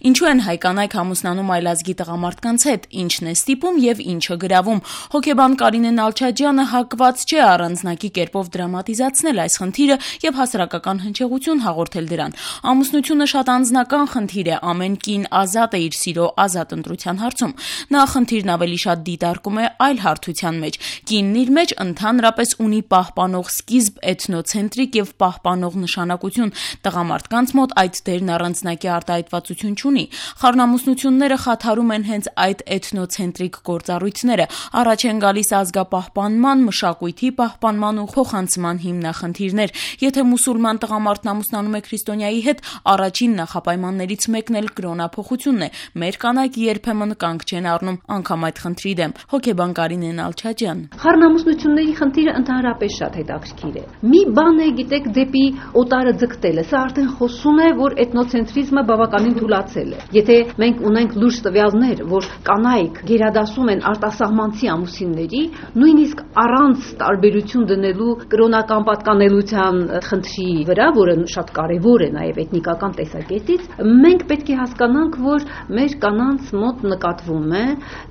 Ինչու են հայ կանայք ամուսնանում այլազգի տղամարդկանց հետ, ինչն է ստիպում եւ ինչը գրավում։ Հոգեբան Կարինե Նալչաջյանը հակված չէ առանձնակի կերպով դրամատիզացնել այս խնդիրը եւ հասարակական հնչեղություն հաղորդել դրան։ Ամուսնությունը շատ անձնական խնդիր է, ամեն կին ազատ է իր սիրո ազատ ընտրության հարցում։ Նա խնդիրն ավելի շատ դիտարկում է այլ հարթության մեջ։ Կինն իր մեջ ընդհանրապես ունի պահպանող սկիզբ, էթնոցենտրիկ եւ պահպանող նշանակություն։ Տղամարդկանց մոտ այդ դերն առանձնակի արտահայտվածություն չունի։ Խառնամուսնությունները խաթարում են հենց այդ էթնոցենտրիկ գործառույթները, առաջ են գալիս ազգապահպանման, մշակույթի պահպանման ու փոխանցման հիմնախնդիրներ։ Եթե մուսուլման տղամարդն ամուսնանում է քրիստոնյայի հետ, առաջին նախապայմաններից մեկն էլ կրոնափոխությունն է։ Մեր կանայք երբեմն կանգ չեն առնում անգամ այդ խնդրի դեմ։ Հոգեբան Կարինե Նալչաջյան. Խառնամուսնությունների խնդիրը ընդհանրապես շատ հետաքրքիր է։ Մի բան է, գիտեք, դեպի օտարը ձգտելը, սա արդեն խոսում է, որ էթնոցենտրիզմը բավականին թուլացել է։ Եթե մենք ունենք լուրջ տվյալներ, որ կանայք գերադասում են արտասահմանցի ամուսինների, նույնիսկ առանց տարբերություն դնելու կրոնական պատկանելության խնդրի վրա, որը շատ կարևոր է նաև էթնիկական տեսակետից, մենք պետք է հասկանանք, որ մեր կանանց մոտ նկատվում է,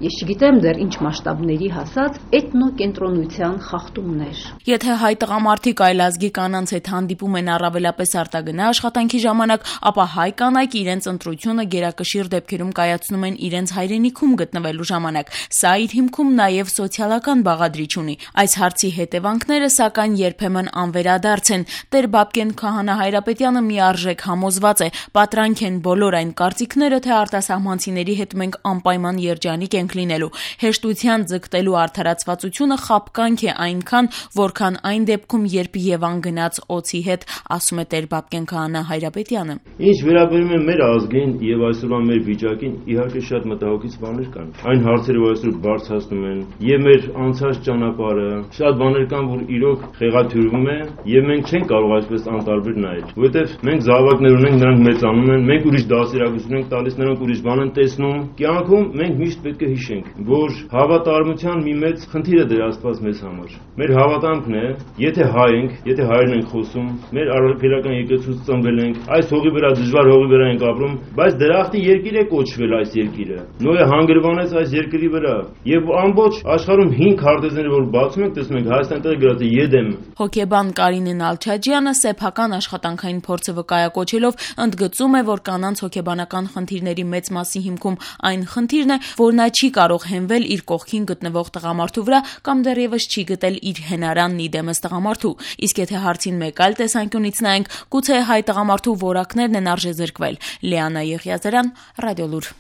ես չգիտեմ դեռ ինչ մասշտաբների հասած, էթնոկենտրոնության խախտումներ։ Եթե հայ տղամարդիկ այլազգի կանանց հետ հանդիպում են առավելապես արտագնա աշխատանքի ժամանակ, ապա հայ կանայք իրենց ընտրությունը գերակշիռ դեպքերում կայացնում են իրենց հայրենիքում գտնվելու ժամանակ։ Սա իր հիմքում նաև սոցիալական բաղադրիչ ունի։ Այս հարցի հետևանքները, սակայն, երբեմն անվերադարձ են։ Տեր Բաբկեն Քահանա Հայրապետյանը միարժեք համոզված է, պատրանք են բոլոր այն կարծիքները, թե արտասահմանցիների հետ մենք անպայման երջանիկ ենք լինելու։ Հեշտության ձգտելու արդարացվածությունը խաբկանք է այնքան, որքան այն դեպքում, երբ Եվան գնաց օձի հետ, ասում է Տեր Բաբկեն Քահանա Հայրապետյանը։ Ինչ վերաբերում է մեր ազգին եւ այսօրվա մեր վիճակին, իհարկե շատ մտահոգիչ բաներ կան։ Այն հարցերը, որ այսօր բարձրացնում են, եւ մեր անցած ճանապարհը, շատ բաներ կան, որ իրոք խեղաթյուրվում է, եւ մենք չենք կարող այսպես անտարբեր նայել, որովհետեւ մենք զավակներ ունենք, նրանք մեծանում են, մենք ուրիշ դասերակցություն ենք տալիս, նրանք ուրիշ բան են տեսնում։ Կյանքում մենք միշտ պետք է հիշենք, որ հավատարմության մի մեծ խնդիր է դրաստված մեզ համար։ Մեր հավատամքն է, եթե հայ ենք, եթե հայերեն ենք խոսում, մեր արաբական եկեղեցուց ծնվել ենք, այս հողի վրա դժվար հողի վրա ենք ապրում, բայց դրախտի երկիր է կոչվել այս երկիրը։ Նոյը հանգրվանեց այս երկրի վրա, եւ ամբողջ աշխարհում 5 քարտեզները, որ բացում ենք, տեսնում ենք Հայաստանի տեղը գրած է Եդեմ։ Հոգեբան Կարինե Նալչաջյանը սեփական աշխատանքային փորձը վկայակոչելով ընդգծում է, որ կանանց հոգեբանական խնդիրների մեծ մասի հիմքում այն խնդիրն է, որ նա չի կարող հենվել իր կողքին գտնվող տղամարդու վրա կամ դեռևս չի գտել իր հենարանն իդեմս տղամարդու։ Իսկ եթե հարցին մեկ այլ տեսանկյունից նայենք, գուցե հայ տղամարդու որակներն են արժեզրկվել։ Լիանա Եղիազարյան, Ռադիոլուր։